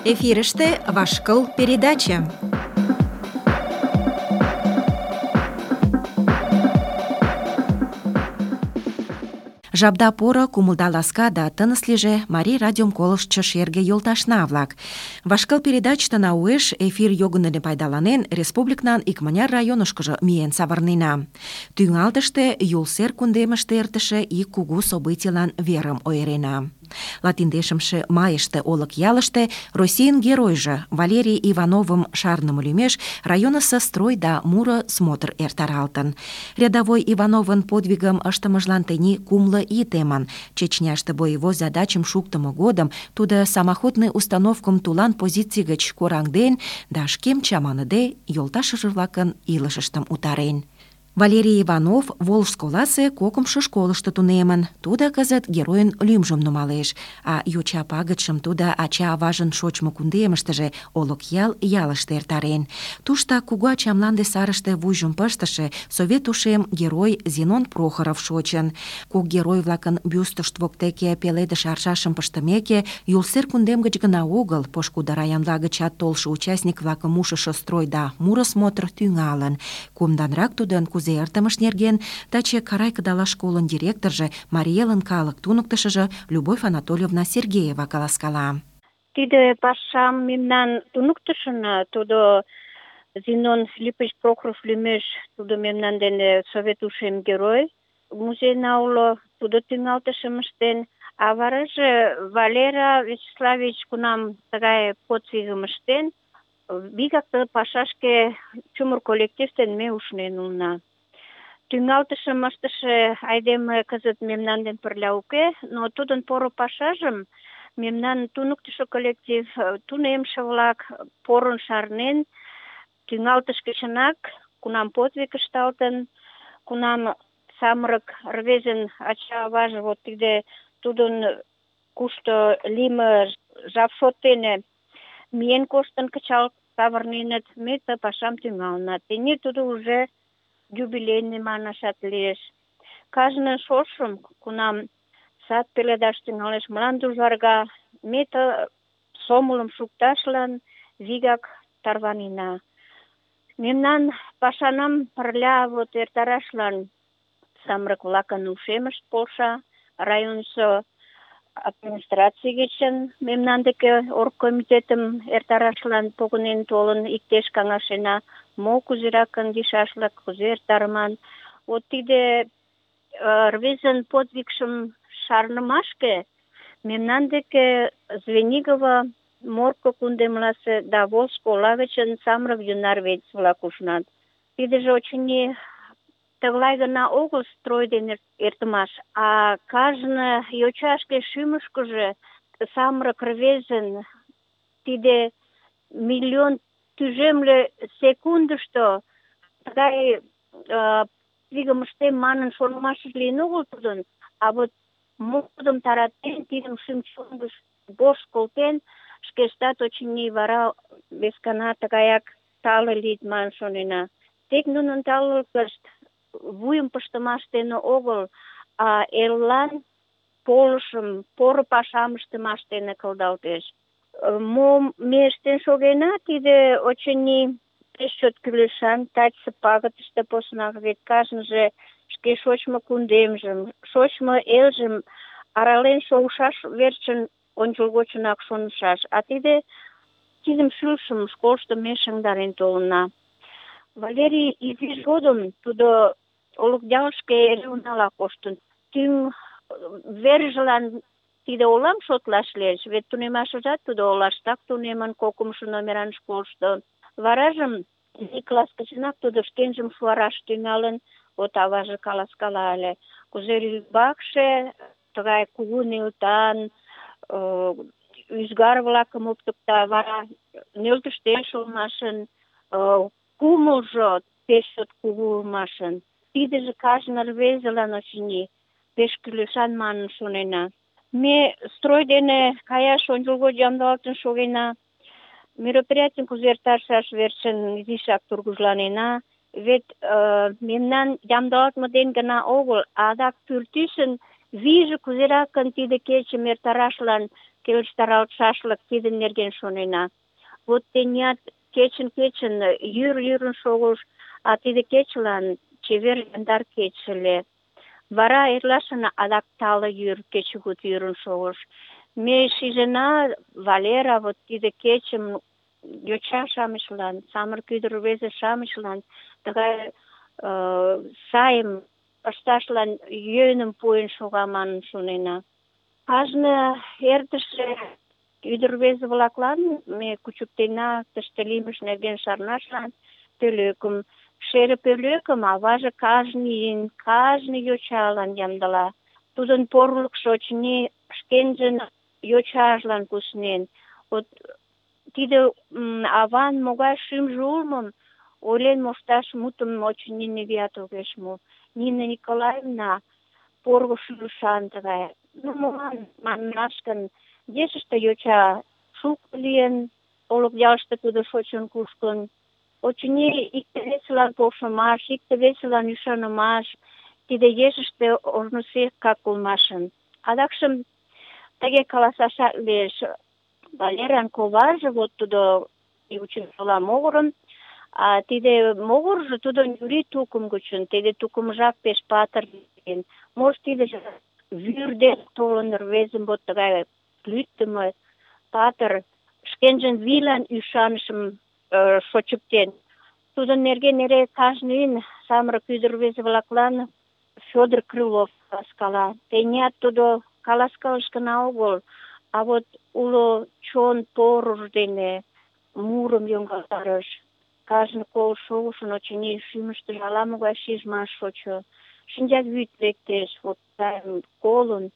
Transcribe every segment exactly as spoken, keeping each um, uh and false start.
Эфирыште «Вашкыл» передача. Жапда поро, кумылда ласка да тыныс лийже Марий радиом колыштшо шерге йолташна-влак. Вашкыл передачтына уэш эфир йогын дене пайдаланен, республикнан икмыняр районышкыжо миен савырнена. Тӱҥалтыште Юл сер кундемыште эртыше ик кугу событийлан верым ойырена. Латиндешымше майыште олык ялыште Российын геройжо Валерий Ивановым шарныме лӱмеш районысо строй да муро смотр эртаралтын. Рядовой Ивановын подвигым ыштымыжлан тений кумло ий темын. Чечняште боевой задачым шуктымо годым тудо самоходный установкым тулан позиций гыч кораҥден да шкем чаманыде йолташыже-влакын илышыштым утарен. Валерий Иванов Волжск оласе кокымшо школышто тунемын. Тудо кызыт геройын лӱмжым нумалеш, а йоча пагытшым тудо ача-аважын шочмо кундемыштыже Олыкъял ялыште эртарен. Туштак кугу ача мланде сарыште вуйжым пыштыше совет ушем герой Зинон Прохоров шочын. Кок герой-влакын бюстышт воктеке пеледыш аршашым пыштымеке, Юлсер кундем гыч гына огыл, пошкудо районла гычат толшо участник-влакым ушышо строй да муро смотр тӱҥалын. Кумданрак тудын кузе эртымыж нерген таче Карай кыдалаш школын директоржо, Марий Элын калык туныктышыжо Любовь Анатольевна Сергеева каласкала. Тиде пашам мемнан туныктышын, тудо Зинон Филиппович Прохоров лӱмеш, тудо мемнан дене совет ушем герой музейна уло, тудо тӱҥалтышым ыштен, а вараже Валера Вячеславович кунам тыгай подвигым ыштен, вигак ты пашашке чумыр коллектив дене ме ушнен улына. Тӱҥалтышым ыштыше айдеме кызыт мемнан ден пырля уке, но тудын поро пашажым мемнан туныктышо коллектив, тунемше-влак порын шарнен, тӱҥалтыш гычынак, кунам подвиг ышталтын, кунам самырык рвезын ача-аваже вот тиде тудын кушто лийме жап шот дене миен коштын кычал савырненыт, ме ты пашам тӱҥалына. Тений тудо уже юбилейный манашат лиеш. Кажне шошым, кунам сад пеледаш тӱҥалеш, мланде ужарга, ме ты сомылым шукташлан вигак тарванена. Мемнан пашанам пырля вот эртарашлан самырык-влакын ушемышт полша, районысо администраций гычын мемнан деке оргкомитетым эртарашлан погынен толын, иктеш каҥашена, мо кузеракын лийшашлык, кузе эртарыман. Вот тиде рвезын подвигшым шарнымашке мемнан деке Звенигово, Морко кундемласе да Волжск ола гычын самырык ӱнар рвезе-влак ушнат. Тидыже, очыни, тыглай гына огыл строй дене эртымаш, а кажне йоча шке шӱмышкыжӧ самырык рвезын тиде миллион тӱжемле секундышто тыгай подвигым ыштем манын шонымашыж лийын огыл тудын, а вот модым таратен, тидым шӱм-чон гыч вошт колтен, шкештат, очыни, вара вескана тыгаяк тале лийыт манын шонена. Тек нунын талыкышт вуйым пыштымаш дене огыл, а эллан полышым, поро пашам ыштымаш дене кылдалтеш. Мом ме ыштен шогена, тиде, очыни, пеш чот кӱлешан, тачысе пагытыште поснак, вет кажныже шке шочмо кундемжым, шочмо элжым арален шогышаш верчын ончылгочынак шонышаш. А тиде тидым шӱлышым школышто ме шыҥдарен толына. Валерий изиж годым тудо Олыкъялышке эре унала коштын. Тӱҥ вержылан тиде олам шотлаш лиеш, вет тунемашыжат тудо олаштак тунемын, кокымшо номеран школышто. Варажым изи класс гычынак тудо шкенжым шуараш тӱҥалын, вот аваже каласкала ыле. Кузе рӱмбакше тыгай кугу нӧлтан ӱзгар-влакым оптыкта, вара нӧлтыштеш улмашын, кумылжо пеш чот кугу улмашын. Тидыже кажне рвезылан, очыни, пеш кӱлешан манын шонена. Ме строй дене каяш ончылгоч ямдылалтын шогена, мероприятийым кузе эртарышаш верчын изишак тургыжланена, вет э, мемнан ямдылалтме ден гына огыл, адак пӱртӱсын вийже кузеракын тиде кечым эртарашлан келыштаралтшашлык, тидын нерген шонена. Вот теният кечын-кечын йӱр йӱрын шогыш, а тиде кечылан чевер яндар кече ыле. Вара эрлашын адак тале йӱр, кечыгут йӱрын шогыш. Ме шижына, Валера, вот тиде кечым йоча-шамычлан, самырык ӱдыр-рвезе-шамычлан тыгай э, сайым ышташлан йӧным пуэн шога манын шонена. Кажне эртыше ӱдыр-рвезе-влаклан ме кучыктена тыште лиймыж нерген шарнашлан пӧлекым. Шере пӧлекым аваже кажне ийын, кажне йочалан ямдыла. Тудын порылыкшо, очыни, шкенжын йочажлан куснен. Вот тиде м, аван могай шӱмжӧ улмым ойлен мошташ мутым, очыни, нигӧат огеш му. Нина Николаевна порго шӱлышан тыгай. Ну, молан манаш гын, ешыште йоча шуко лийын, Олык ялыште тудо шочын-кушкын. Очыни, икте-весылан полшымаш, икте-весылан ӱшанымаш, тиде ешыште ожнысекак улмашын. Адакшым тыге каласашат лиеш. Валеран коваже, вот тудо учителя могырын, а тиде могыржо тудо Юрий тукым гычын, тиде тукымжак пеш патыр лийын. Может, тиде вӱр ден толын рвезым вот тыгай лӱддымӧ, патыр, шкенжын вийлан ӱшанышым э, шочыктен. Тудын нерген эре кажне ийын самырык ӱдыр-рвезе-влаклан Фёдор Крылов каласкала. Теният тудо каласкалыш гына огыл, а вот уло чон порыж дене мурым йоҥгалтарыш. Кажне кол шогышын, очыни, шӱмыштыжӧ ала-могай шижмаш шочо. Шинчавӱд лектеш, вот тайым колын.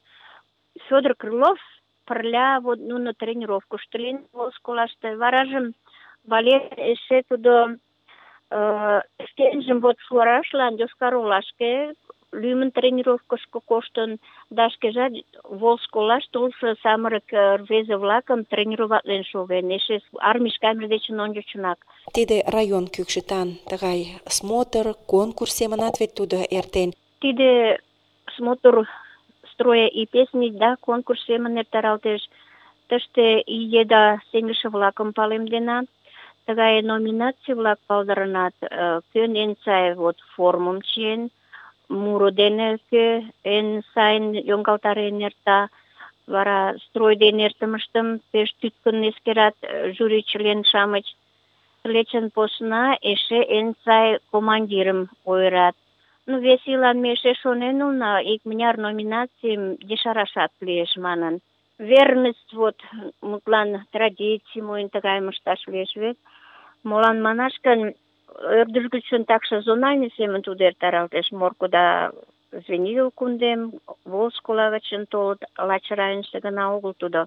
Фёдор Крылов пырля вот нуно тренировкышто лийын школаште. Варажым Валер эше тудо э, шкенжым вот шуарашлан Йошкар-Олашке лӱмын тренировкышко коштын, да шкежат Волжсколаш толшо самырык рвезе-влакым тренироватлен шоген, эше армийыш кайымыж дечын ончычынак. Тиде район кӱкшытан тыгай смотр, конкурс семынат вет тудо эртен. Тиде смотр строя и песни, да, конкурс семын эртаралтеш. Тыште ий еда сеҥыше-влакым палемдена. Тыгай номинаций-влак палдырнат, кӧн эн сай вот формым чиен, муро дене кӧ эн сайын йоҥгалтарен эрта, вара строй дене эртымыштым пеш тӱткын эскерат жюри член-шамыч. Тылечын посна эше эн сай командирым ойырат. Ну, вес ийлан ме эше шонен улына, икмыняр номинацийым ешарашат лиеш манын. Верность, вот, мутлан традиций мойн тыгайым ышташ лиеш вет. Молан манаш гын, ӧрдыж гычын такше зональный семын тудо эртаралтеш. Морко да Звенигород кундем, Волжскола гычын толыт, лач районышто гына огыл тудо.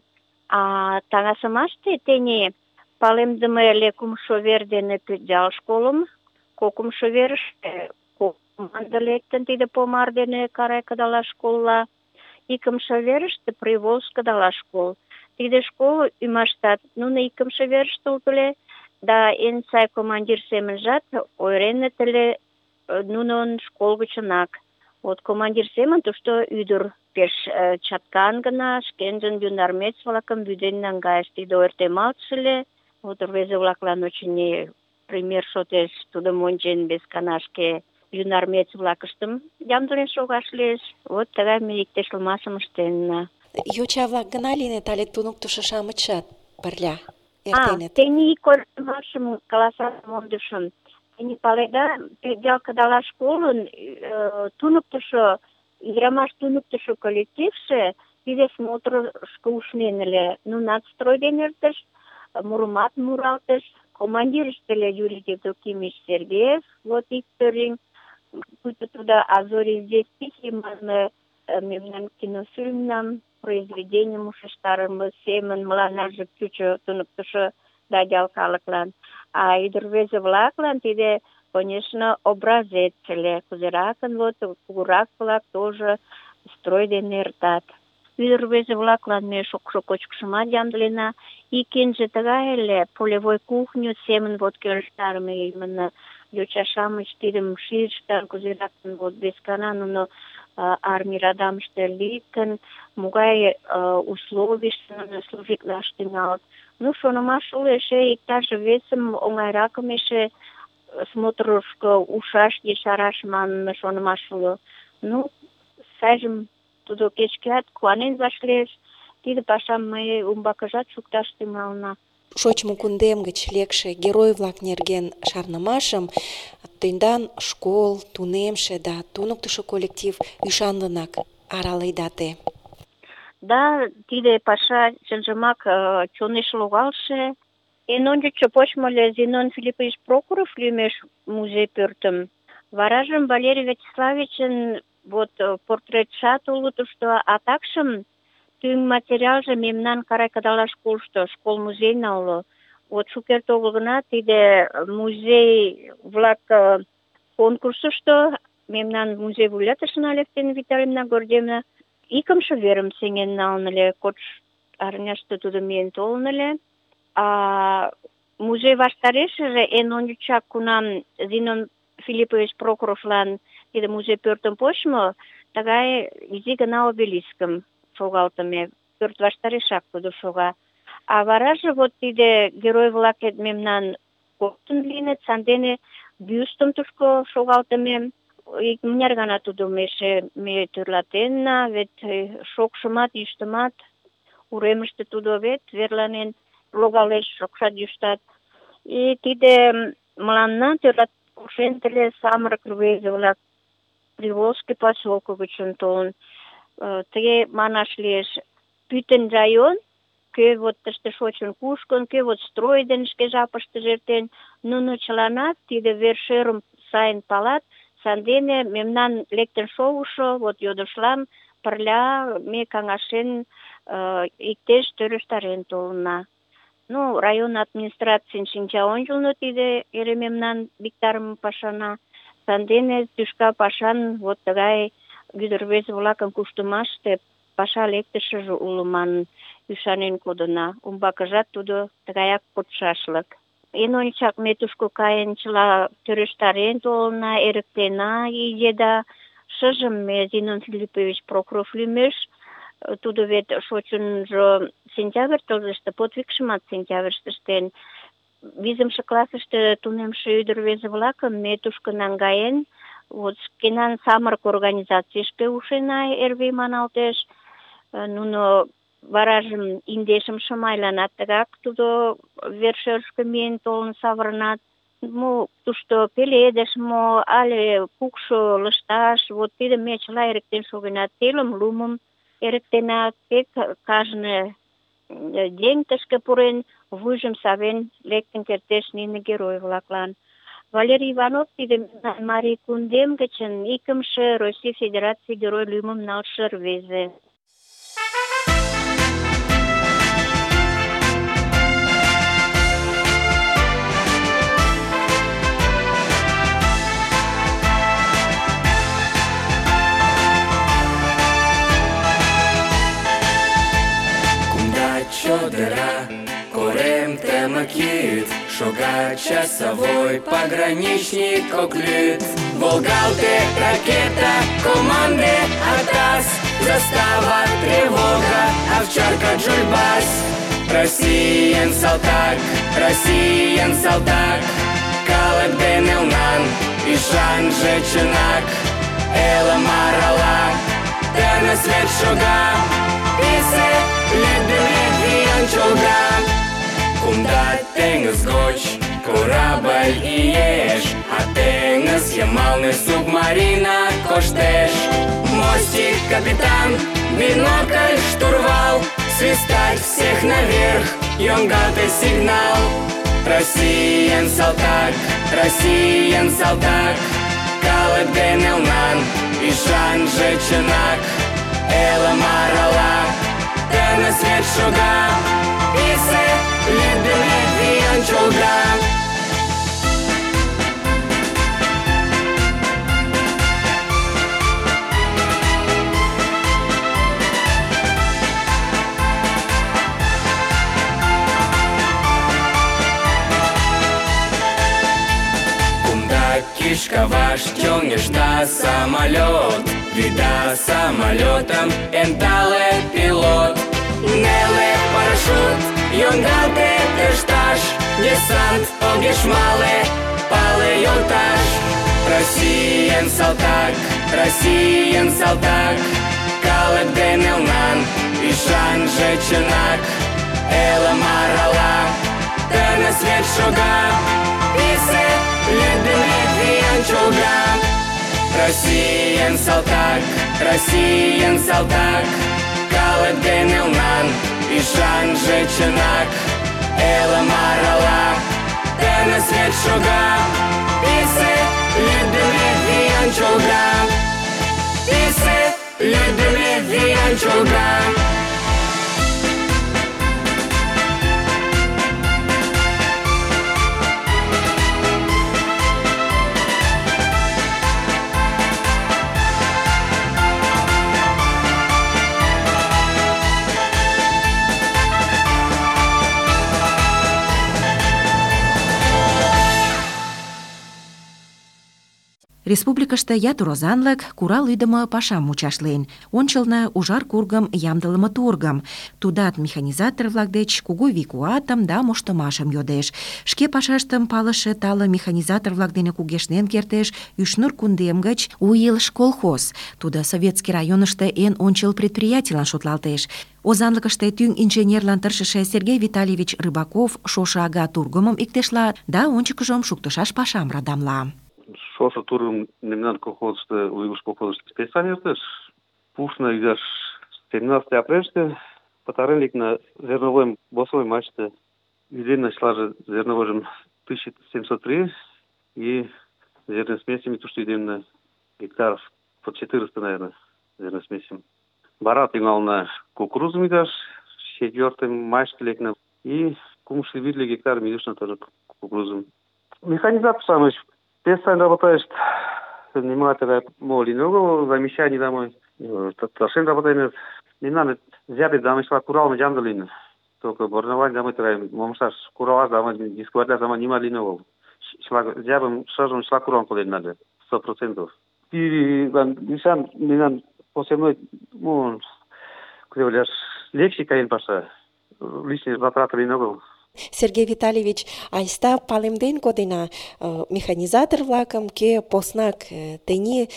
А таҥасымаште тений палемдыме ыле кумшо вер дене Пӧтъял школым, кокымшо верыште кок команда лектын, тиде Помар дене Карай кыдалаш школла, икымше верыште Приволжск кыдалаш школ. Тиде школ ӱмаштат нуно икымше верыште улыт ыле, да эн сай командир семынжат ойыреныт ыле нунын школ гычынак. Вот командир семын тушто ӱдыр пеш э, чаткан гына шкенжын юнармец-влакым вӱден наҥгайыш. Тиде ойыртемалтше ыле. Вот рвезе-влаклан очыни пример шотеш тудым ончен вескана шке юнармец-влакыштым ямдылен шогаш лиеш. Вот тыгай ме иктешлымашым ыштенна. Йоча-влак гына лийыныт але туныктышо-шамычшат пырля А, эртеныт? тений койышым каласаш мондышым. Тений паледа, Пӧтъял кыдалаш школын э, туныктышо, ӱдырамаш туныктышо коллективше тиде смотрышко ушнен ыле. Нунат строй дене эртыш, мурымат муралтыш. Командирышт ыле Юрий Евдокимович Сергеев, вот ик пӧръеҥ, пуйто тудо «А зори здесь тихие» манме мемнан кинофильмнам, произведенийым ушештарыме семын мыланнаже чучо туныктышо да ял калыклан. А ӱдыр-рвезе-влаклан тиде, конечно, образец ыле, кузеракын вот кугурак-влак тоже строй дене эртат. Ӱдыр-рвезе-влаклан ме шокшо кочкышымат ямдылена. Ик энже тыгай ыле, полевой кухню семын вот келыштарыме, именно йоча-шамыч тидым шижыштын, кузеракын вот вескана нуно армий радамыште лийын, могай условийыште нуно служитлаш тӱҥалыт. Ну, шонымаш уло, эше иктаж весым оҥайракым эше смотрышко ушаш, ешараш манме шонымаш уло. Ну, сайжым тудо кеч-кӧат куанен вашлиеш. Тиде пашам ме умбакыжат шукташ тӱҥалына. Шочмо кундем гыч лекше герой-влак нерген шарнымашым тендан школ, тунемше да туныктышо коллектив ӱшанлынак араледа те. Да, тиде паша чынжымак чонеш логалше. Эн ончычшо почмо ыле Зинон Филиппович Прохоров лӱмеш музей пӧртым. Варажым Валерий Вячеславичын вот портретшат уло тушто, а такшым тӱҥ материалже мемнан Карай-Кадала школышто, школ-музейна уло. Вот шукерте огыл гына тиде музей-влак конкурсышто мемнан музей вуйлатышына Алевтина Витальевна Гордеевна икымше верым сеҥен налын ыле. Кодшо арняште тудо миен толын ыле. А музей ваштарешыже эн ончычак, кунам Зинон Филиппович Прохоровлан тиде музей пӧртым почмо, тыгай изи гына обелискым шогалтыме, пӧрт ваштарешак тудо шога. А вараже вот тиде герой-влакет мемнан коктын лийыныт, сандене бюстым тушко шогалтыме. Икмыняр гана тудым эше ме тӧрлатенна, вет шокшымат, йӱштымат уремыште тудо вет верланен логалеш, шокшат, йӱштат. И тиде мыланна тӧрлат полшен ыле самырык рвезе-влак Приволжский поселко гычын толын. Тыге манаш лиеш, пӱтынь район, кӧ вот тыште шочын кушкын, кӧ вот строй дене шке жапыштыже эртен, нуно чыланат тиде вер-шӧрым сайын палат, сандене мемнан лектын шогышо вот йодышлам пырля ме каҥашен иктеш тӧрыштарен толына. Ну, район администрацийын шинча ончылно тиде эре мемнан виктарыме пашана, сандене тӱшка пашан вот тыгай ӱдыр-рвезе-влакын куштымаште паша лектышыже уло манын ӱшанен кодына. Умбакыжат тудо тыгаяк кодшашлык. Эн ончычак ме тушко каен чыла тӧрыштарен толына, эрыктена ий еда. Шыжым ме Зинон Филиппович Прохоров лӱмеш, тудо вет шочынжо сентябрь тылзыште, подвигшымат сентябрьыште ыштен. Визымше классыште тунемше ӱдыр-рвезе-влакым ме тушко наҥгаен, вот шкенан самырык организацийышке ушена, эр вий маналтеш. Нуно варажым индешым шымайланат тыгак тудо вер-шӧрышкӧ миен толын савырнат. Мо тушто пеледыш, мо але кукшо лышташ, вот тидым ме чыла эрыктен шогена. Телым лумым эрыктена, тек кажне еҥ тышке пурен, вуйжым савен лектын кертеш нине герой-влаклан. Валерий Иванов тиде Марий кундем гычын икымше Россий Федераций герой лӱмым налше рвезе. Кумда чодыра, корем тымык йӱд, шога часовой пограничник ок лӱд. Волгалте ракета, команде атас, застава тревога, овчарка Джульбас. Россиян салтак, Россиян салтак, калык дене унан, ӱшанже чынак. Элым арала, тыныс вет шога, писе лӱддымӧ виян чолга. Кумда теҥыз гоч корабль иеш, а теҥыз йымалне субмарина коштеш. Мостик, капитан, бинокль, штурвал, свистать всех наверх, йоҥгалте сигнал. Россиян салтак, Россиян салтак, калык дене унан, ӱшанже чынак. Элым арала, тыныс вет шога, писе лӱддымӧ виян чолга. Кумда кишкаваш чоҥешта самолет, Вида самолетом энтале пилот. Неле парашют, йоҥгалте тышташ, десант огеш мале, пале йолташ. Россиян салтак, Россиян салтак, калык ден элнан ӱшанже чынак. Элым арала, тыныс вет шога, писе лӱддымӧ виян чолга. Россиян салтак, Россиян салтак, калык ден элнан ӱшанже чынак. Элым арала, тыныс вет шога, писе лӱддымӧ виян чолга. Писе лӱддымӧ виян чолга. Республикыште ятыр озанлык курал ӱдымӧ пашам мучашлен. Ончылно ужар кургым ямдылыме тургым. Тудат механизатор-влак деч кугу вий-куатым да моштымашым йодеш. Шке пашаштым палыше тале механизатор-влак дене кугешнен кертеш Ӱшнур кундем гыч У илыш колхоз. Тудо Советский районышто эн ончыл предприятийлан шотлалтеш. Озанлыкыште тӱҥ инженерлан тыршыше Сергей Витальевич Рыбаков шошо ага тургымым иктешла да ончыкыжым шуктышаш пашам радамла. Шошо тургым мемнан колхозышто, У илыш колхозышто спецан эртыш. Пушна ӱдаш семнадцатый апрельыште пытарен лекна зерновойым босовой мачте. Ӱденна чылаже зерновойжым тысяча семьсот три и зерной смесями тушто ӱденна гектаров под четыреста, наверное, зерной смесим. Вара тӱҥална кукурузым ӱдаш, четвертый мачте лекна и кумшо витле гектарым ӱдышна тоже кукурузым. Механизатор-шамыч спецсайн работаешт, занимателя моли много, замещаний домой, старшин работает. Не надо взять домой, шла курал, мы джамдалин. Только борновать домой траем, момшаш курала домой, дискварля домой не мали нового. Шла взябым шажем шла курал полен надо, сто процентов. И мишан, не надо после мной, ну, куда вляж, легче каин паша, лишние затраты много. Сергей Витальевич, айста палемден кодена механизатор-влакым, кӧ поснак тений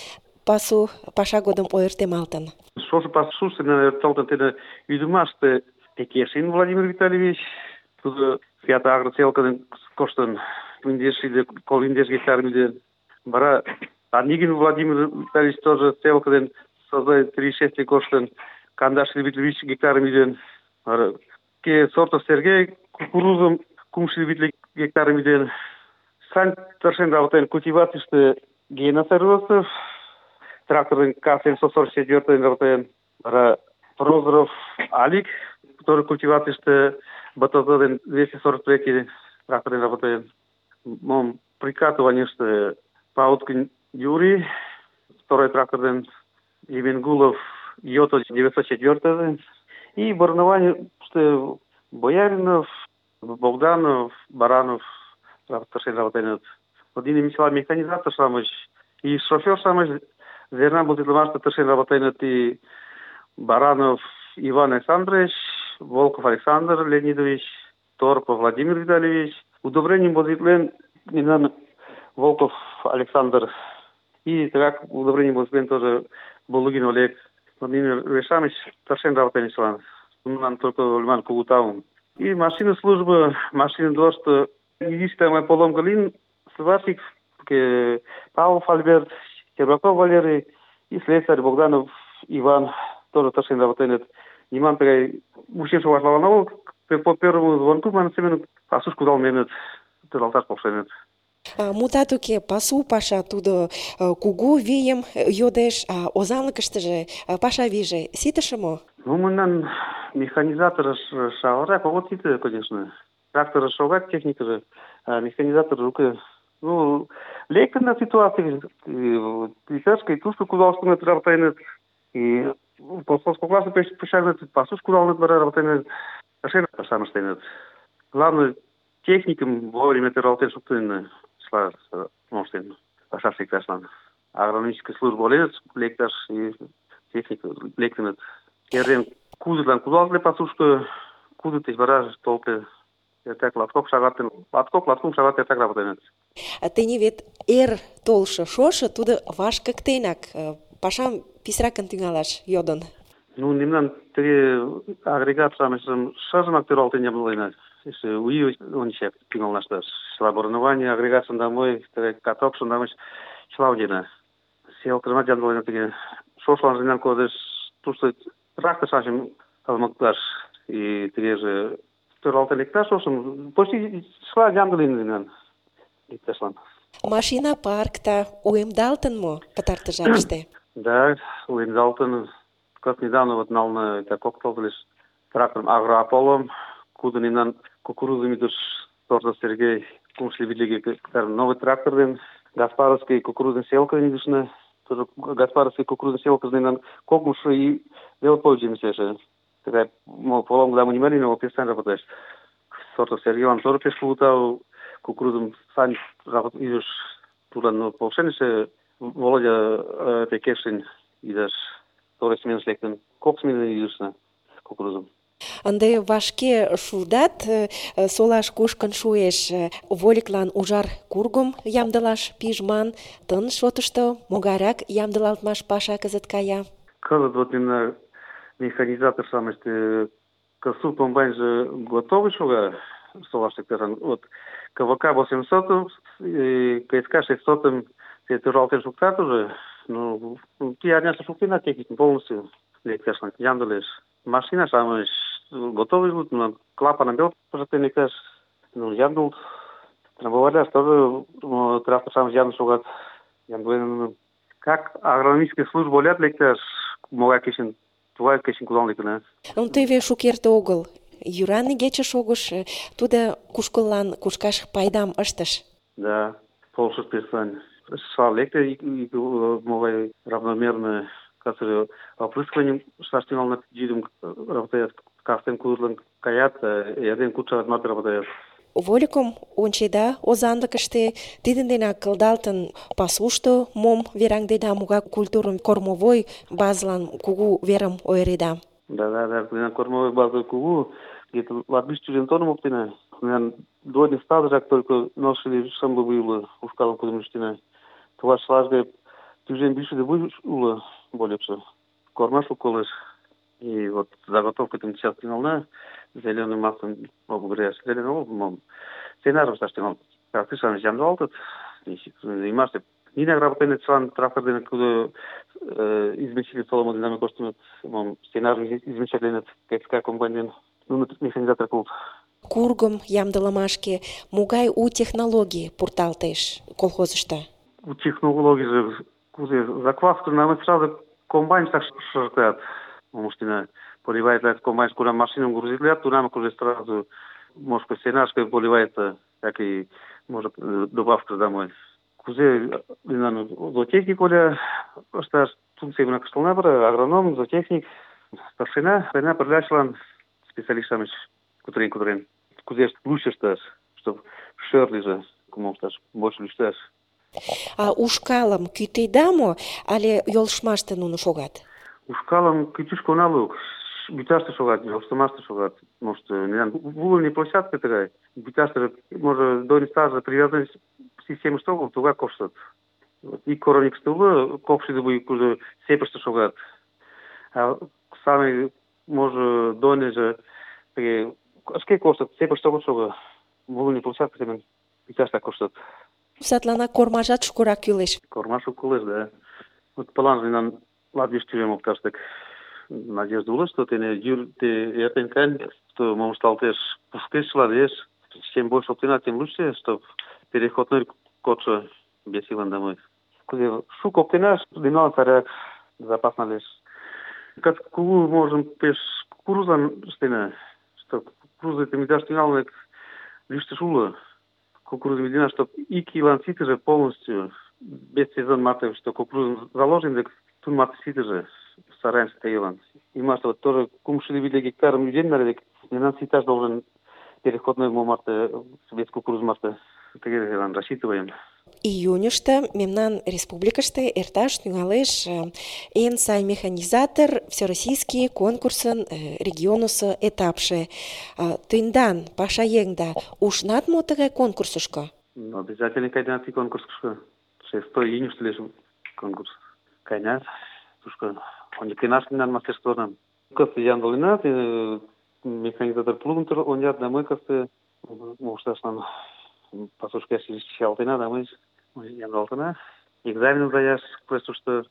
пасу паша годым ойыртемалтын. Шошо пасушто ойырталтын тиде ӱдымаште Пекешин Владимир Витальевич, тудо Фиат агроцелкын коштын индеш или кол индеш гектарым ӱден. Вара Анигин Владимир Витальевич тоже целкын создает три шесть коштын кандаш или гектарым ӱден. Вара ке Сортов Сергей кукурузым кумшо витле гектарым ӱден. Сань тыршен работаен культивацийыште Гена Сарвосов, тракторын К семьсот сорок четыре работаен. Вара Прозоров Алик, который культивацийыште БТЗ двести сорок три тракторын работаен. Мом прикатыванийыште Пауткин Юрий, второй тракторын Евенгулов Йото девятьсот четыре. И борнованийыште Бояринов, Богданов, Баранов, тракторшен работаен. Один мисла механизатор самыч и шофер самыч зерна бултитлымаште тыршен работаен и Баранов Иван Александрович, Волков Александр Леонидович, Торпов Владимир Витальевич. Удобрением бултитлен Минан Волков Александр. И так удобрением бултитлен тоже Булугин Олег. Владимир Вешамич тыршен работаен член. Нам только льман кулутаум. И машина служба, машина дождь, единственная поломка лин, сварщик, Павлов Альберт, Щербаков Валерий и слесарь Богданов Иван, тоже тыршен работает. Ниман такая, мужчина вашла нового, по первому звонку, man семен, пасушку дал менет, тыралташ повшенет. Мутат уке, пасу паша тудо кугу вийым йодеш, а озанлыкыштыже паша вийже ситыше мо? Ну, мындан механизатор шагырак огыт сите, конечно. Трактор шогат, техника же, а механизатор рука. Ну, лектен на ситуации, присяжка и тушку кудалшкы работает, и колхозко классы пешарнет, пасушку дал работает, ашена пашана штейнет. Главное, техникам вовремя работает, чтобы ты шла, может, паша всегда шла. агрономический служба оленыт, лекташ и техника лектыныт. Эрден кудытлан кудалте пасушко, кудыт деч вара толте. Эртак латкок шагатын, латкок, латкум шагат эртак работеныт. А тений вет эр толшо шошо тудо вашкыктенак э, пашам писракын тӱҥалаш йодын. Ну, мемнан тыге агрегат-шамычшым шыжымак тӧралтен ямдыленыт. Эше У И ончак тӱҥалнашташ. Чыла оборудование, агрегат шындамой, тыге каток шындамыч чыла удена. Селкыжымат ямдыленыт тыге. Шошлан мемнан кодеш тушто трактор-шамычым кылмыкташ и тыгеже тӧралтен лекташ шошым почти чыла ямдылен мемнан лекташлан. Машина паркта уэмдалтын мо пытартыш жапыште? Да, уэмдалтын. Как недавно вот нална это коктейль лишь трактором агроаполом, куда мемнан кукурузами душ сорта Сергей кумшли видели новый трактор ден Гаспаровский кукурузный селка не душна, тоже Гаспаровский кукурузный селка мемнан кокмуш и дело пользуемся же. Такая мол полом когда мы не имели, но перестань работать. Сорта Сергей он тоже пешкутал кукурузом сань идешь туда, но полшенише Володя Пекешин идешь. Второй смен лектын, кок смены идышна кукурузым. Ынде вашке шудат, э, солаш кушкын шуэш. Вольыклан ужар кургым ямдылаш пижман. Тын шотышто могайрак ямдылалтмаш паша кызыт кая? Кызыт вот именно механизатор самости косу комбайнже готовый шуга солашты теран. Вот КВК восемьсот, КСК шестьсот, это ралтен шуктат уже. Ну, ти арняшта шуктина техника полностью лекташна ямдылеш. Машина самый готовый будут, но клапаном бел пожатый лекташ. Ну, ямдыл. Трамбоварляш тоже трактор сам ямдыл шугат. Ямдыл. Как агрономическая служба олят лекташ, могай кешен, тугай кешен кудан лектана. Ну, теве шукерте огыл. Юран игече шогыш, тудо кушкыллан кушкаш пайдам ыштыш. Да, полшыш персань. Шла лекте, могай равномерно, который опрыскиванием шаштинал на джидом работает, кастен курлан каят, яден куча мат работает. Вольыкым ончеда озанлыкыште тидын денак кылдалтын пасушто мом вераҥдеда, могай культурым кормовой базлан кугу верым ойыреда. Да, да, да, кормовой база кугу, где-то латбиш тюжен тоном оптина. Двойный стадыжак только ношили шамбы было ушкалом кудымыштина. Това шлажга тюжен бише да будет улы более все. Кормаш уколыш. И вот заготовка там сейчас тянула зеленым маслом, могу говоря, зеленым маслом. Сценаром саштинал. Как ты сам взял этот, и масса. Не на работе член трактора, куда измещили солому динамику, что мы сценаром измещали как как комбайн, ну механизатор култ. Кургым ямдылымашке могай у технологий пурталтеш колхозышто? У технологии же закваску нам сразу комбайн так шартят. Мужчина поливает этот комбайн, куда машину грузит, то нам уже сразу, может, сенашкой поливается, как и, может, добавка домой. Кузе, наверное, зоотехник, коля, что функция именно каштална бара, агроном, зоотехник, старшина, старшина, продлячлан, специалистами, кутрин, кутрин. Кузе лучше стаж, чтобы шерли же, кому стаж, больше лучше. А ушкалым кӱтеда мо, але йолшмаште нуно шогат? Ушкалым кӱтӱшкӧ она лук, буташте шогат, йолштымаште шогат. Может, вулный площадка такая, буташте, может, до стажа привязанность системы штогов, туга коштат. И коровник стулы, копши да будет уже сепеште шогат. А сами, может, доне же, ашке коштат, сепеште шога. Вулный площадка, темен, буташте коштат. Садлана кормажат шукырак кӱлеш. Кормаш кӱлеш, да. Вот план нам латвиш тюрем опташтык. Надежда улы, что ты не юр, ты это кань, что можешь сталтеш пускешла, веш. Чем больше оптина, тем лучше, чтобы переходной кодша без силан домой. Куда шук оптина, динал царя запасно лишь. Как кулу можем пеш кукурузан стена, что кукуруза ты не дашь динал, лишь ты шула. Кукуруза медина, чтобы и киланситы же полностью без сезон маты, что кукурузу заложим, так тут маты ситы же стараемся таиланд. И масло вот тоже кумшили видели гектаром людей, наверное, не на ситаж должен переходной марта без кукурузы марта. Так рассчитываем. Июньышто мемнан республикыште эрташ тӱҥалеш эн сай механизатор всероссийский конкурсын регионысо этапше. Тендан пашаеҥда ушнат мо тыгай конкурсышко? Обязательно кайнат и конкурсышко. шестой июньышто лиеш конкурс. Кайнат, тушко оньыктенаш мемнан мастерствонам. Кызыт ямдыленат, механизатор плугым онят, да мый кызыт мошташлан пасушка чиялтена, да мый ямдылалтына. Экзамен сдаяш, просто что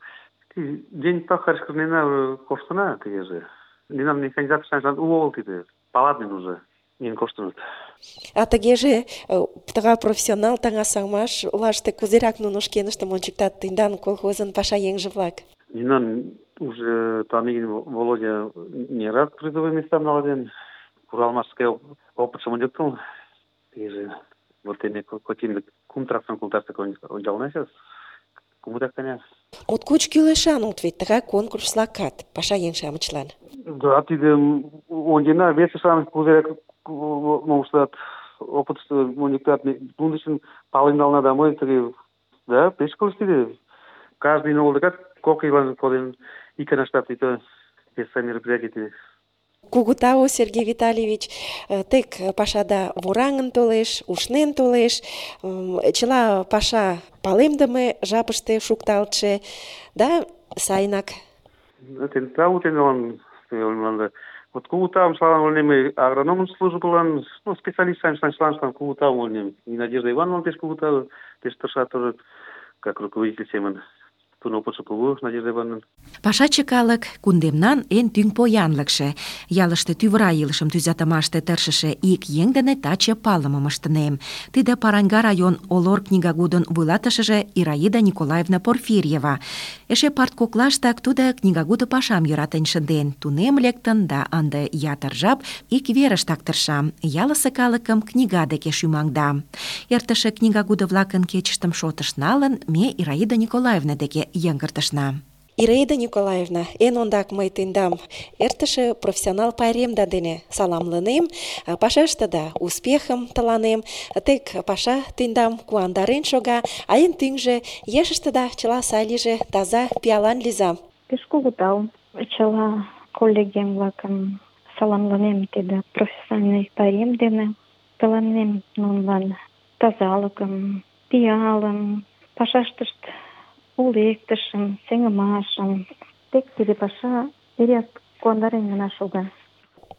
день пахарь кырнена коштына тыгеже. Мемнан механизатор шаншлан уло огыл тиде, паладный уже. Мин коштынут. А тыгеже тыгай профессионал таҥасымаш олаште кузерак нуно шкеныштым ончыктат тендан колхозын пашаеҥже-влак? Мемнан уже Палагин Володя не раз призовые места налажен. Куралмашская опытшым ончыктыл. Тыгеже вот эми котин кум тракторын култаште ончалына сейчас. Кумытак таня. Моткоч кӱлешан улыт вет тыгай конкурс-влакат пашаеҥ-шамычлан. Да, тиде ончена, весе-шамыч кузерак моштат, опытышто ончыктат. Тудын пален налына, да мый тыге, да, пеш кылыш тиде. Каждый новый декат кок ийлан коден, иканаштат ито вес мероприятий. Кугу тау, Сергей Витальевич, тек пашада вораҥын толеш, ушнен толеш, чыла паша палемдыме жапыште шукталтше, да сайынак. Тен тау тенлан, вот кугу тауым шлан олнеме агрономын службылан, ну, специалист сайын шлан кугу тау олнеме. И Надежда Ивановна пеш кугу тау, пеш тырша тоже, как руководитель семын. Тудын опытшо кугу, Надежда Ивановна. Пашаче калык кундемнан эн тӱҥ поянлыкше. Ялыште тӱвыра илышым тӱзатымаште тыршыше ик еҥ дене таче палымым ыштынем. Тиде Параньга район Олор книгагудын вуйлатышыже Ираида Николаевна Порфирьева. Эше парткоклаштак тудо книгагуд пашам йӧратен шынден, тунем лектын да ынде ятыр жап ик верыштак тырша. Ялысе калыкым книга деке шӱмаҥда. Эртыше книгагуд-влакын кечыштым шотыш налын, ме Ираида Николаевна деке йыҥгыртышна. Ираида Николаевна, эн ондак мый тендам эртыше профессионал пайремда дене саламлынем, пашаштыда успехым тыланем, тек паша тендам куандарен шога, а эн тӱҥжӧ ешыштыда чыла сай лийже, таза, пиалан лийза. Пеш кугу тау. Чыла коллегем-влакым саламлынем тиде профессиональный пайрем дене. Тыланем нунылан тазалыкым, пиалым, пашаштышт улектышым, сеҥымашым. Тек тиде паша эреак куандарен гына шога.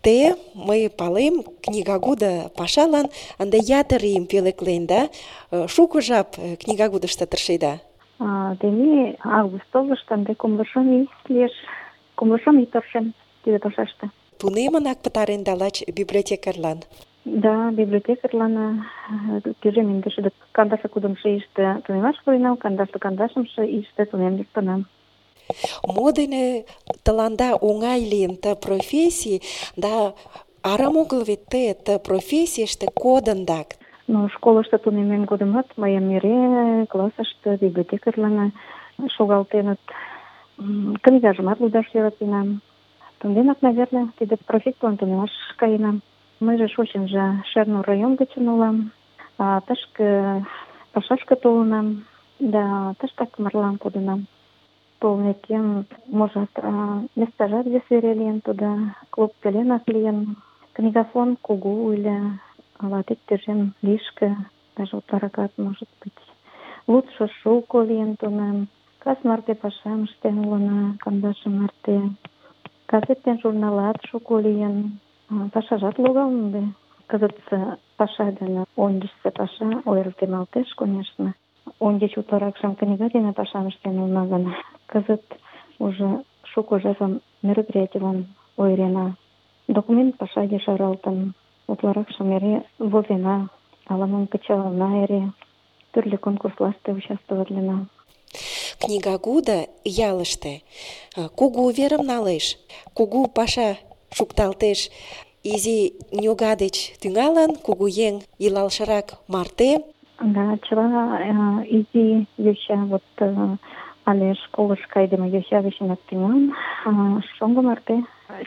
Те, мый палем, книгагудо пашалан ынде ятыр ийым пӧлеклен, да? Шуко жап книгагудышто тыршеда? Тений август-октябрьыште ынде кумло шым ий лиеш. Кумло шым ий тыршем тиде пашаште. Тунемынак пытаренда лач библиотекарьлан? Да, библиотекарьлан тӱжем индешшӱдӧ кандашле кудымшо ийыште тунемаш пуренам, кандашле кандашымше ийыште тунем лектынам. Мо дене тыланда оҥай лийын ты профессий, да арам огыл вет те ты профессийыште кодындак? Ну, школышто тунеммем годымат мыйым эре классыште библиотекарьлан шогалтеныт. Книгажымат лудаш йӧратенам. Тунденак, наверное, тиде профессийлан тунемаш каенам. Мыйже шочынжо Шернур район гычын улам, а тышке пашашке толынам, да тыштак марлан кодынам. Толмекем, можат, местажат вес вере лийын, тудо клуб пеленак лийын, книгофон кугу ыле, ала тек тӱжем лишке, даже утларакат, может быть. Лудшо шуко лийын тунам, кас марте пашам ыштен улына, кандаше марте. Газет ден журналат шуко лийын. Пашажат логалын ынде. Кызыт паша дене ончычсо паша ойыртемалтеш, конечно. Ончыч утларакшым книга дене пашам ыштен улына гын, кызыт уже шуко жапым мероприятийлан ойырена. Документ паша ешаралтын, утларакшым эре возена, ала-мом кычалына эре, тӱрлӧ конкурслаште участвоватлена. Книгагудо ялыште кугу верым налеш, кугу паша шукталтеш. Изи ньога деч тӱҥалын, кугуеҥ илалшырак марте. Да, чыла изи йоча, вот але школыш кайдыме йоча гычынак тӱҥалын, шоҥго марте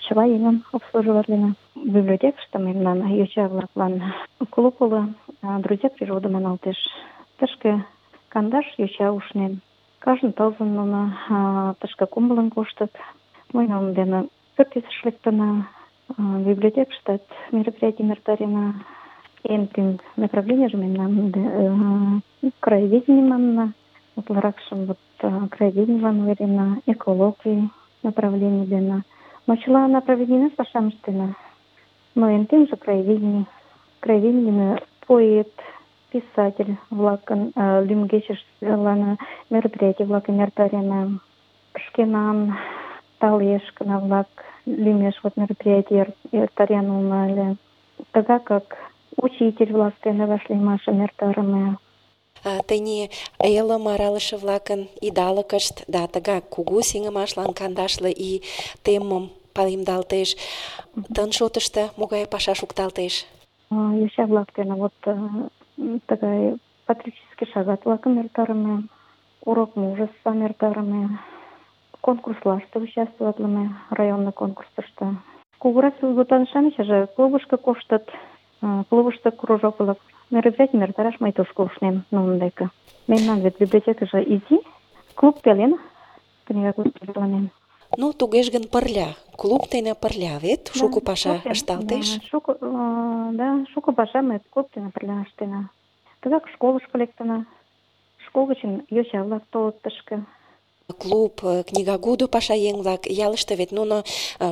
чыла еҥым обслуживатлена. Библиотекыште мемнан йоча-влаклан клуб уло, «Друзья природы» маналтеш. Тышке кандаш йоча ушнен. Кажне тылзын нуно тышке кумылын коштыт. Мый нунын дене пӱртӱсыш лектына, библиотекыштат мероприятийым эртарена. Эн тӱҥ направленийже мемнан краеведение манына. Утларакшым вот краеведенийлан ойырена, экологий направлений дене. Но чыла направленийна пашам ыштена. Но эн тӱҥжӧ краеведение. Краеведение поэт, писатель-влакын лӱмгечыштлан мероприятий-влакым эртарена. Шкенан талешкына-влак лӱмеш вот мероприятий эртарен улына ыле. Тыгакак учитель-влак дене вашлиймашым эртарыме. Тений элым аралыше-влакын идалыкышт да тыгак кугу сеҥымашлан кандашле ий теммым палемдалтеш. Тын шотышто могай паша шукталтеш? Йоча-влак дене вот тыгай патриотический шагат-влакым эртарыме, урок мужествам эртарыме, конкурслаште участвоватлыме, районный конкурсышто. Кугурак сӱретан-шамычше клубышко коштыт, клубышто кружок-влак мероприятийым эртараш мый тушко ушнем нунын деке. Мемнан вет библиотекыже изи, клуб пелен книга клуб. Ну, тугеж гын пырля, клуб дене пырля вет шуко паша ышталтеш. Шуко, да, шуко паша ме клуб дене пырля ыштена. Тыгак школышко лектына. Школ гычын йоча-влак толыт тышке. Клуб, книгагудо пашаеҥ-влак ялыште вет нуно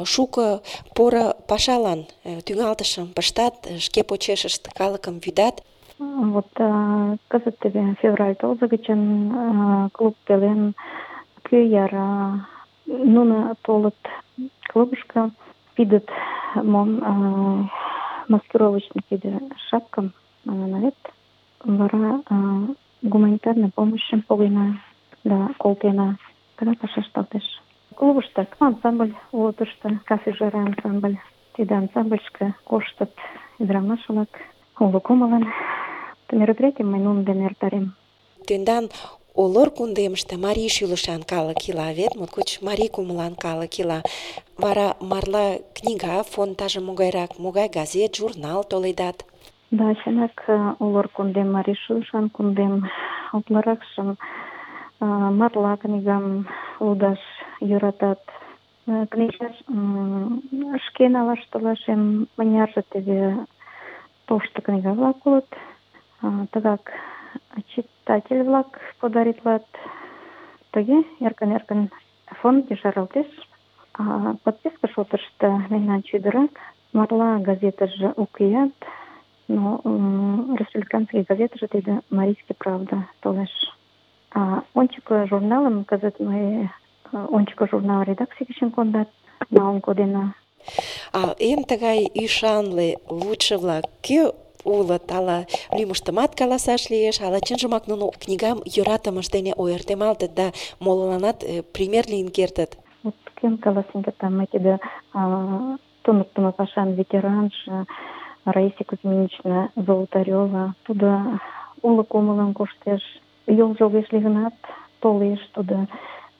шуко поро пашалан тӱҥалтышым пыштат, шке почешышт калыкым вӱдат. Вот кызыт теве февраль тылзе гычын клуб пелен кӧ яра нуно толыт клубышко, пидыт мом маскировочный тиде шапкам налет, вара гуманитарный помощьым погена да колтена. Тыгак паша ышталтеш. Клубышто ансамбль уло тыште, кафе-жара ансамбль. Тиде ансамбльышке коштыт ӱдырамаш-влак, уло кумылын. Мероприятийым мый нунын дене эртарем. Тендан Олор кундемыште марий шӱлышан калык ила вет, моткоч марий кумылан калык ила. Вара марла книга фондаже могайрак, могай газет, журнал толедат? Да, чынак, Олор кундем марий шӱлышан кундем. Утларакшым марла книгам лудаш йӧратат. Книга шке налаш толашем, мынярже теве тошто книга-влак улыт. Тыгак читатель-влак подаритлат. Тыге эркын-эркын фонд ешаралтеш. Подписка шотышто мемнан чӱдырак. Марла газетыже укеат, но республиканский газетыже тиде «Марийский правда» толеш. Ончыко журналым кызыт мый ончыко журнал редакций гычын кондат, налын кодена. А эн тыгай ӱшанле лудшо-влак кӧ улыт? Ала лӱмыштымат каласаш лиеш, ала чынжымак нуно книгам йӧратымышт дене ойыртемалтыт да молыланат пример лийын кертыт? Вот кӧм каласен кертам, мый тиде туныктымо пашан ветеранже Раиса Кузьминична Золотарева. Тудо уло кумылын коштеш, йолжо огеш лий гынат, толеш тудо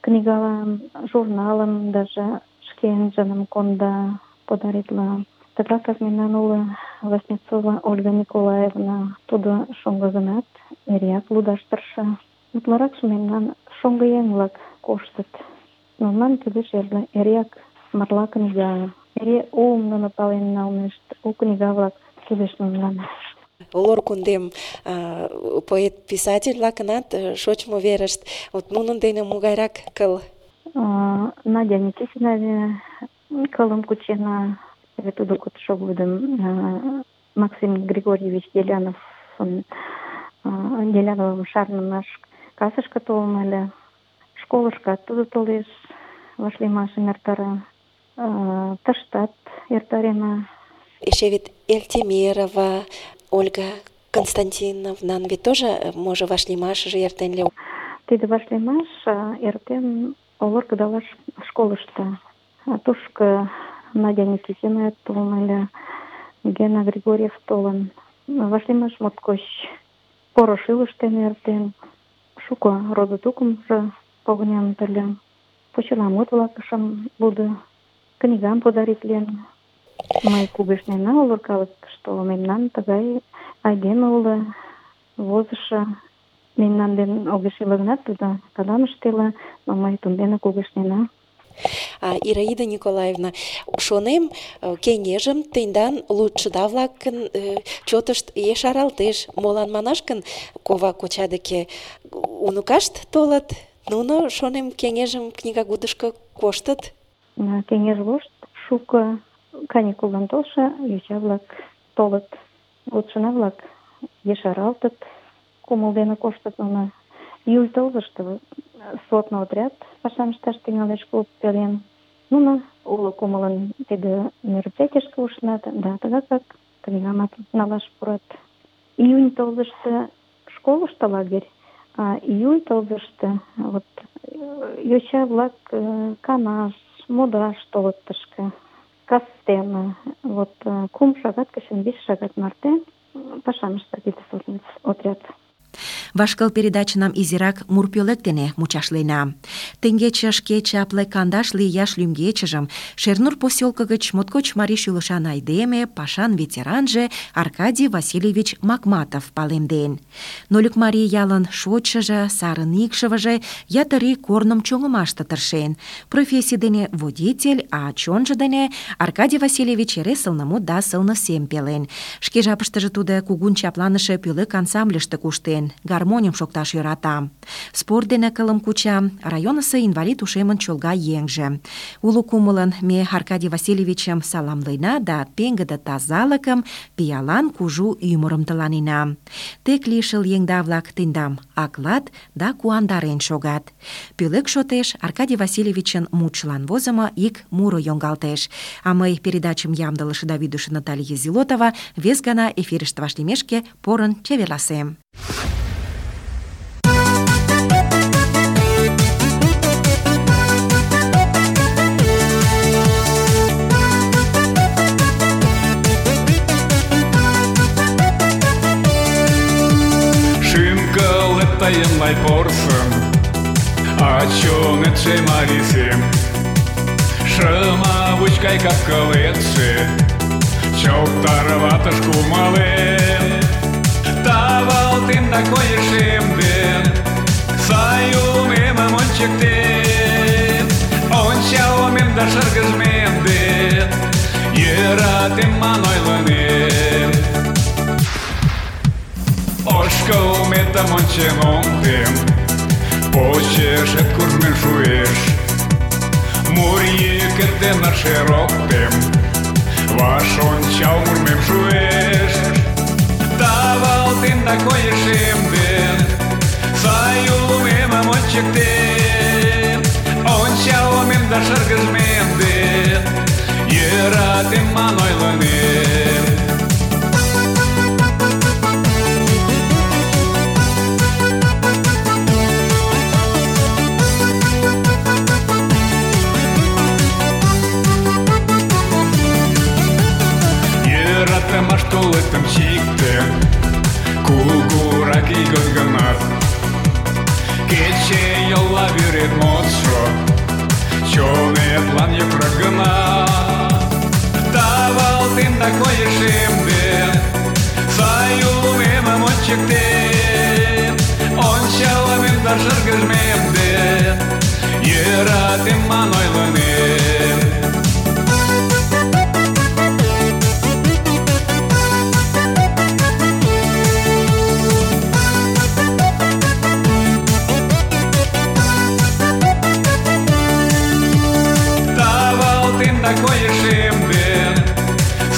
книгалан, журналым даже шкенжыным конда, подаритла. Тыгакак мемнан уло Васнецова Ольга Николаевна, тудо шоҥго гынат, эреак лудаш тырша. Утларакше мемнан шоҥго еҥ-влак коштыт. Нунылан кӱлеш эреак марла книга. Эре уым нуно пален налнешт, у книга-влак кӱлеш нунылан. Олор кундем поэт-писатель-влакынат шочмо верышт, вот нунын дене могайрак кыл? Надя Никитина кылым кучена. Тудо шогылдым Максим Григорьевич Делянов Деляновым шарнымаш касышке толын ыле. Школышкат тудо толеш, вашлиймашым эртара. Тыштат эртарена. Эше вет Эльтемирова Ольга Константиновнан вет тоже, може, вашлиймашыже эртен ле? Тиде вашлиймаш эртен Олор кыдалаш школышто. Тушко Надя Никитина толын ыле, Гена Григорьев толын. Вашлиймаш моткоч поро шӱлыш дене эртен. Шуко родо-тукымжо погыненыт ыле. Почеламут-влакшым лудо, книгам подаритлен. Мый кугешнена Олор калык, что мемнан тыгай айдеме уло, возышо, мемнан ден огеш иле гынат, тудо кадам ыштела, но мый тундене кугешнена. А, Ираида Николаевна, шонем, кеҥежым тендан лудшыда-влакын э, чотышт ешаралтеш. Молан манаш гын, кова коча деке уныкашт толыт, нуно, шонем, кеҥежым книгагудышко коштыт. Кеҥеж вошт шуко каникуллан толшо йоча-влак толыт. Лудшына-влак ешаралтыт, кумыл дене коштыт нуно. Июль тылзыште сводный отряд пашам ышташ тӱҥалеш клуб пелен. Нуно уло кумылын тиде мероприятийышке ушнат, да тыгакак книгамат налаш пурат. Июнь тылзыште школышто лагерь, а июль тылзыште вот йоча-влак канаш, модаш толыт тышке. Кастене, вот кум шагат гычын вич шагат марте пашам ышта тиде сводный отряд. Вашкыл передачынам изирак мур пӧлек дене мучашлена. Теҥгече шке чапле кандашле ияш лӱмгечыжым Шернур посёлко гыч моткоч марий шӱлышан айдеме, пашан ветеранже Аркадий Васильевич Макматов палемден. Нольык марий ялын шочшыжо, сарын икшывыже ятыр ий корным чоҥымаште тыршен. Профессий дене водитель, а чонжо дене Аркадий Васильевич эре сылнымут да сылне сем пелен. Шке жапыштыже тудо кугун чапланыше пӧлек ансамбльыште куштен, гармоньым шокташ йӧрата. Спорт дене кылым куча, районысо инвалид ушемын чолга еҥже. Уло кумылын ме Аркадий Васильевичым саламлена да пеҥгыде тазалыкым, пиалан кужу ӱмырым тыланена. Тек лишыл еҥда-влак тендам аклат да куандарен шогат. Пӧлек шотеш Аркадий Васильевичын мутшылан возымо ик муро йоҥгалтеш. А мый передачым ямдылыше да вӱдышӧ Наталья Зилотова вес гана эфирыште вашлиймешке порын чеверласем. Тайын лай порсын, а чонетше марисем. Шыма вучкай капкылетше, чоктарватыш кумалем. Тавалтем да койышемден, сай умемым ончыктен. Ончалмем да шыргыжмемден, йӧратем ман ойлынем. Ошкылметым ончен ондем, почешет куржмен шуэш. Мур йӱкет дене шероктем, ваш ончал мурмем шуэш. Тавалтем да койышемден, сай улмемым ончыктен. Ончалмем да шыргыжмемден, йӧратем ман ойлынем. Йӧратымаш толетым чиктен, кугурак ийгот гынат. Кече йолла вӱрет модшо, чонетлан йокрок гына. Тавалтем да койышемден, сай улмемым ончыктен. Ончалмем да шыргыжмемден, йӧратем ман ойлынем. Койышемден,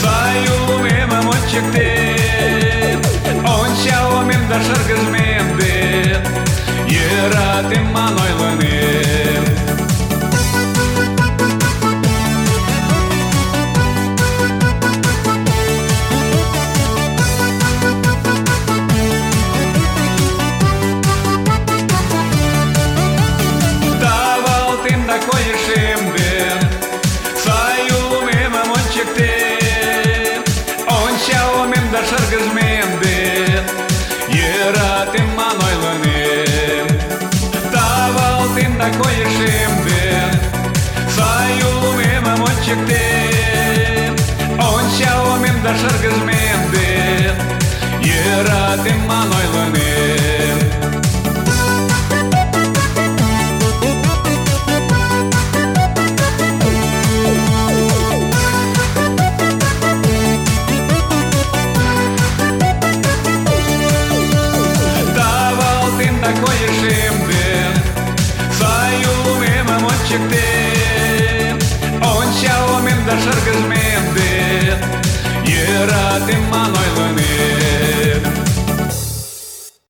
сай улмемым ончыктен. Ончалмем да шыргыжмемден, йӧратем ман ойлынем. Тавалтем да койышемден, ончалмем да шыргыжмемден, йӧратем ман ойлынем. Тавалтем да койышемден, сай улмемым ончыктен. Ончалмем да шыргыжмемден, йӧратем ман ойлынем. чиктем. Ончалмем да шыргыжмем